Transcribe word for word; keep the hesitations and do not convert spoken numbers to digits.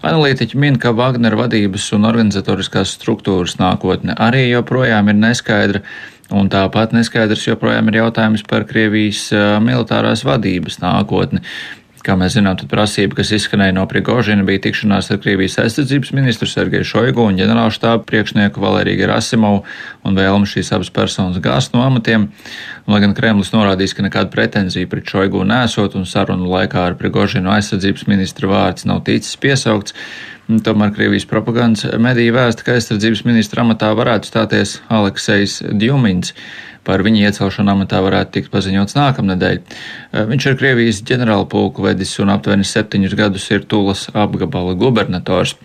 Analītiķi min, ka Wagner vadības un organizatoriskās struktūras nākotne arī joprojām ir neskaidra, un tāpat neskaidrs joprojām ir jautājums par Krievijas militārās vadības nākotni. Kā mēs zinām, tad prasība, kas izskanēja no Prigožina, bija tikšanās ar Krievijas aizsardzības ministru Sergeju Šoigu un ģenerālštāba priekšnieku Valeriju Gerasimovu un vēlme šīs abas personas gāzt no amatiem. Un, lai gan Kremlis norādījis, ka nekāda pretenzija pret Šoigu nesot un sarunu laikā ar Prigožinu aizsardzības ministra vārds nav ticis piesaukts, tomēr Krievijas propagandas mediji vēsta, ka aizsardzības ministra amatā varētu stāties Aleksejs Djumins. Par viņa iecelšanu amatā varētu tikt paziņots nākamnedēļ. Viņš ir Krievijas ģenerālpulku vedis un aptuveni septiņus gadus ir Tulas apgabala gubernators.